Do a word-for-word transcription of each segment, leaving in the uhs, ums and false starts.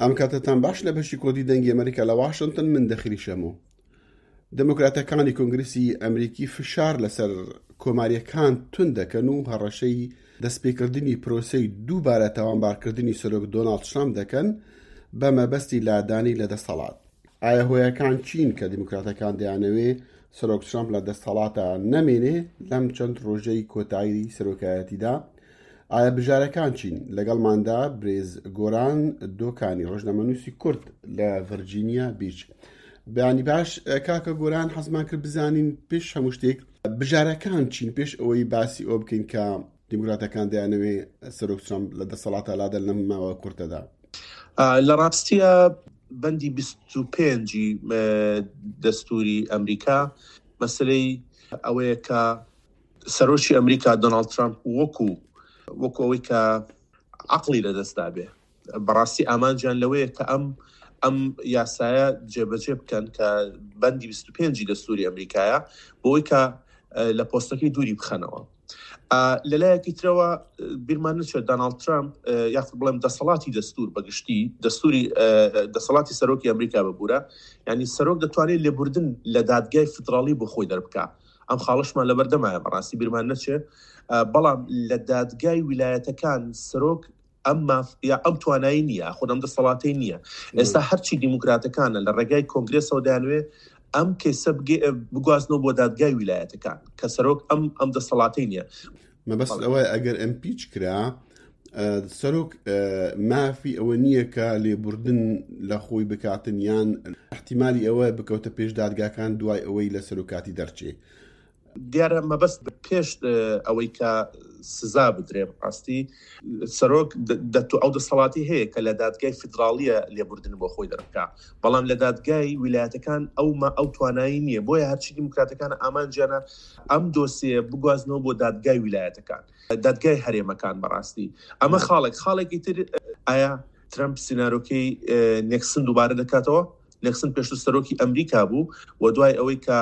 ئەم کاتتان باش لە بەشی کوردی دەنگی ئەمریکا لە واشنگتن، من دەخیلی شەمۆ. دێموکراتەکانی کۆنگرسی ئەمریکی فشار لەسەر کۆماریەکان تون دەکەن و هەڕەشەی دەستپێکردنی پرۆسەی دووبارە تاوانبارکردنی سەرۆک دۆناڵد ترامپ دەکەن بە مەبەستی لادانی لە دەسەڵات. ئایا هۆیەکان چین کە دیموکراتەکان دەیانەوێ سەرۆک ترامپ لە دەسەڵاتە نەمێنێ لەم چەند ڕۆژەی کۆتایی سەرۆکایەتیدا؟ ئایا بژارەکان چین؟ لەگەڵماندا برێز گۆران دۆکانی، ڕۆژنامەنووسی کورد لە ڤرجینیا بیچ. بەیانی باش کاکە گۆران، حەزمان کرد بزانین پێش هەموو شتێک بژارەکان چین پێش ئەوەی باسی ئەوە بکەین کە دیموکراتەکان دەیانەوێ سەرۆک ترامپ لە دەسەڵاتە لادەن لەم ماوە کورتەدا. لە ڕاستیە بەندی بیست و پێنجی دەستوری ئەمریکا مەسلەی ئەوەیە کە سەرۆکی ئەمریکا دۆناڵد ترامپ وەکو وەکو ئەوەی کە عەقڵی لەدەستدا بێ، بەڕاستی ئامانجیان لەوەیە کە ئەم ئەم یاسایە جێبەجێ بکەن کە بەندی بیست و پێنجی دەستوری ئەمریکایە بۆی کە لە پۆستەکەی دووری بخەنەوە. لەلایەکی ترەوە بیرمان نەچێت دۆناڵد ترامپ یاخود بڵێم دەسەڵاتی دەستور بەگشتی دەستوری دەسەڵاتی سەرۆکی ئەمریکا ببوورە، یعنی سەرۆک دەتوانێت لێبوردن لە دادگای فیدراڵی بۆ خۆی دەربکا. ئەم خاڵشمان لەبەردەمایە، بەڕاستی بیرمان نەچێت. بەڵام لە دادگای ویلایەتەکان سەرۆک ئەم ماف یا ئەم توانایی نییە، خود ئەم دەسەڵاتەی نییە. ئێستا هەرچی دیموکراتەکانە لە ڕێگای کۆنگرێسەوە دەیانوێ ئەم کەیسە بگوازنەوە بۆ دادگای ویلایەتەکان کە سەرۆک ئەم ئەم دەسەڵاتەی نییە. مەبەست ئەوەیە ئەگەر impeach کرا سەرۆک مافی ئەوە نییە کە لێبوردن لە خۆی بکاتن یان احتیمالی ئەوە بکەوتە پێش دادگاکان دوای ئەوەی لە سەرۆکاتی دەرچێ. دیارە مەبەست پێش ئەوەی کە سزا بدرێ ڕاستی سەرۆک ئەو دەسەڵاتی هەیە کە لە دادگای فیدراڵیە لێبوردن بۆ خۆی دەربکا، بەڵام لە دادگای ویلایەتەکان ئەو ئەو توانایی نییە. بۆیە هەرچی دیموکراتەکان ئامانجیانە ئەم دۆسیە بگوازنەوە بۆ دادگای ویلایەتەکان، دادگای هەرێمەکان. بەڕاستی ئەمە خاڵێک. خاڵێکی تر، ئایا ترەمپ سیناریۆکەی نێکسن دووبارە دەکاتەوە؟ نێکسن پێشتر سەرۆکی ئەمریکا بوو و دوای ئەوەی کە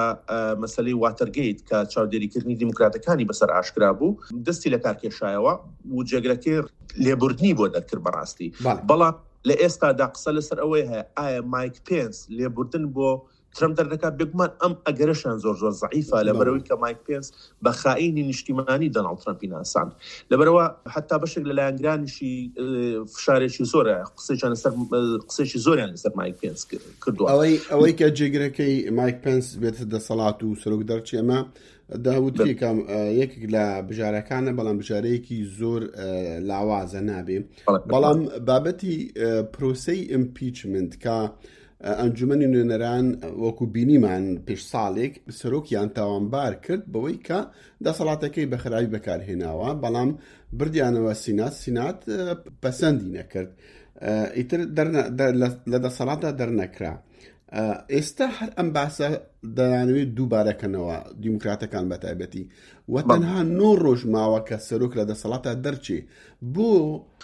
مەسلەی واتەرگەیت کە چاودێریکردنی دیموکراتەکانی بەسەر ئاشکرا بوو دەستی لە کار کێشایەوە و جێگرەکەی لێبوردنی بۆ دەرکرد بەڕاستی. بەڵام لە ئێستادا قسە لەسەر ئەوەی هەیە ئایا مایک پێنس لێبوردن بۆ ترەمپ دەردەکات؟ بێگومان ئەم ئەگەرەشان زۆر زۆر زەعیفە، لەبەرەوەی کە مایک پێنس بە خائینی نیشتیمانی دۆناڵد ترەمپی ناساند. لەبەرەوە حتا بەشێک لە لایەنگرانیشی فشارێکی زۆرە، قسەیان لەسەر قسەیەکی زۆریان لەسەر مایک پێنس کردووە. ئەوەی ئەوەی کە جێگرەکەی مایک پێنس بێتە دەسەڵات و سەرۆک دەرچێ، ئەمە داوترێ کە یەکێک لە بژارەکانە، بەڵام بژارەیەکی زۆر لاوازە نابێ. بەڵام بابەتی پرۆسەی impeachment کە ئەنجومەنی نوێنەران وەکو بینیمان پێش ساڵێک سەرۆکیان تاوانبار کرد بەوەی کە دەسەڵاتەکەی بە خراپی بەکارهێناوە، بەڵام بردیانەوە سینات، سینات پەسەندی نەکرد، ئیتر لە دەسەڵاتدا دەرنەکرا. ئێستا هەر ئەم باسە دەیانەوێت دووبارەکەنەوە دیموکراتەکان بەتایبەتی و تەنها نۆ ڕۆژ ماوە کە سەرۆک لە دەسەڵاتە دەرچێ. بۆ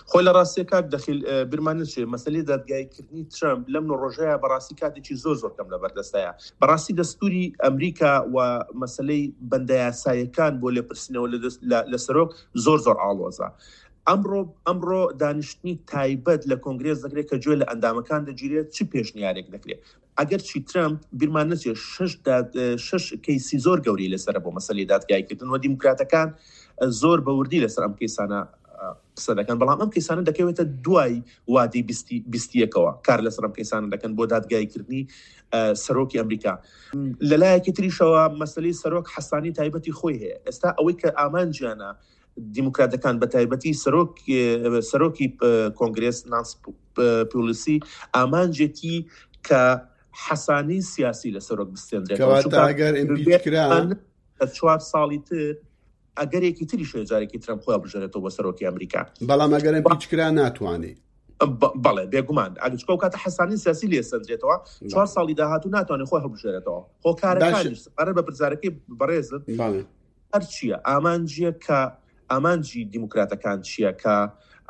خۆی لە ڕاستیە کاک دەخیل بیرمان نەچێ مەسلەی دادگاییکردنی ترەمپ لەم نۆ ڕۆژەیە بەڕاستی کاتێکی زۆر زۆر کەم لەبەردەستایە. بەڕاستی دەستوری ئەمریکا و مەسلەی بەندە یاساییەکان بۆ لێپرسینەوە لە سەرۆک زۆر زۆر ئاڵۆزە. ئەمڕۆ ئەمڕۆ دانیشتنی تایبەت لە کۆنگرێس دەکرێت کە گوێ لە ئەندامەکان دەگیرێت چ پێشنیارێک دەکرێت. ئەگەرچی ترەمپ بیرمان نەچێت شەش کەیسی زۆر گەورەی لەسەرە بۆ مەسلەی دادگاییکردن و دیموکراتەکان زۆر بەوردی لەسەر ئەم کەیسانە قسە دەکەن، بەڵام ئەم کەیسانە دەکەوێتە دوای وادەی بیستیەکەوە کار لەسەر ئەم کەیسانە دەکەن بۆ دادگاییکردنی سەرۆکی ئەمریکا. لەلایەکی تریشەوە مەسلەی سەرۆک حەسانی تایبەتی خۆی هەیە. ئێستا ئەوەی کە ئامانجیانە دیموکراتەکان بە تایبەتی سەرۆکی کۆنگرێس نانس پێلۆسی ئامانجێتی کە حەسانی سیاسی لە سەرۆک بستێنرێتەوە. کەواتە ئەگەر impeach کرا چوار ساڵی تر ئەگەرێکی تریش هەیە جارێکی ترەمپ خۆی هەڵبژێرێتەوە بۆ سەرۆکی ئەمریکا. بەڵام ئەگەر impeach کرا ناتوانێت. بەڵێ بێگومان ئەگەر چکە ئەو کاتە حەسانی سیاسی لێ سەندرێتەوە چوار ساڵی داهاتوو ناتوانێت خۆی هەڵبژێرێتەوە. هۆکارەکانیش سەبارەت بە پرسیارەکەی بەڕێزت هەر چییە؟ ئامانجیە کە ئامانجی دیموکراتەکان چییە کە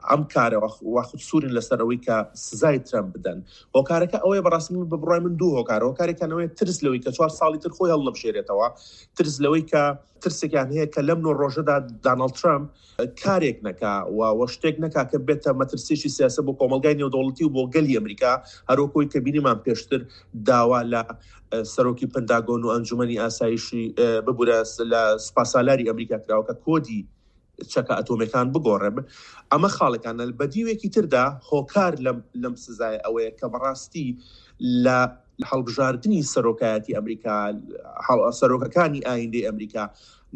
ئەم کارە واخود سوورن لەسەر ئەوەی کە سزای ترەمپ بدەن. هۆکارەکە ئەوەیە بەڕاستی من بە بڕوای من دوو هۆکارە، هۆکارێکیان ئەوەیە ترس لەوەی کە چوار ساڵی تر خۆی هەڵنەبژێرێتەوە، ترس لەوەی کە ترسێکیان هەیە کە لەم نۆ ڕۆژەدا داناڵد ترەمپ کارێک نەکا و وە شتێک نەکا کە بێتە مەترسیەکی سیاسە بۆ کۆمەڵگای نێودەوڵەتی و بۆ گەلی ئەمریکا، هەروەکۆی کە بینیمان پێشتر داوا لە سەرۆکی پنتاگۆن و ئەنجومەنی ئاسایشی ببورە لە سوپاسالاری ئەمریکا کراوە کە کۆدی چەکە ئەتۆمیەکان بگۆڕێ. ئەمە خاڵەکانە. بە دیوێکی تردا هۆکار لەم لەم سزای ئەوەیە کە بەڕاستی لە هەڵبژاردنی سەرۆکایەتی ئەمریکا، سەرۆکەکانی ئایندەی ئەمریکا،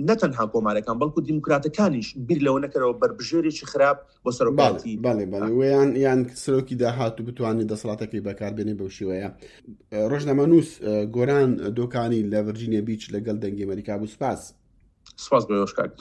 نەتەنها کۆمارەکان بەڵکو دیموکراتەکانیش بیر لەوە نەکەرەوە بەربژێرێکی خراپ بۆ سەرۆکایەتی بەڵێ بەڵێ ویان یان سەرۆکی داهاتوو بتوانێت دەسەڵاتەکەی بەکاربێنێ بەو شێوەیە. ڕۆژنامەنووس گۆران دۆکانی لە ڤرجینیا بیچ لەگەڵ دەنگی ئەمریکا بوو. سپاس. سپاس بۆ ئێوەش کاک.